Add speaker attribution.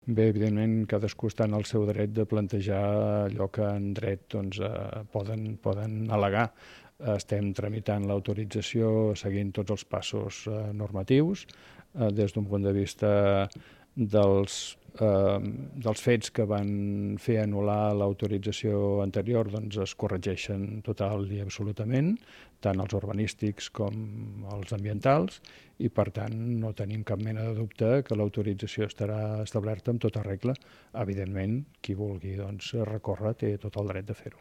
Speaker 1: Bé, evidentment, cadascú està en el seu dret de plantejar allò que en dret poden al·legar. Estem tramitant l'autorització seguint tots els passos normatius. Des d'un punt de vista dels fets que van fer anul·lar l'autorització anterior, doncs es corregeixen total i absolutament, tant els urbanístics com els ambientals, i per tant no tenim cap mena de dubte que l'autorització estarà establerta amb tota regla. Evidentment, qui vulgui recórrer té tot el dret de fer-ho.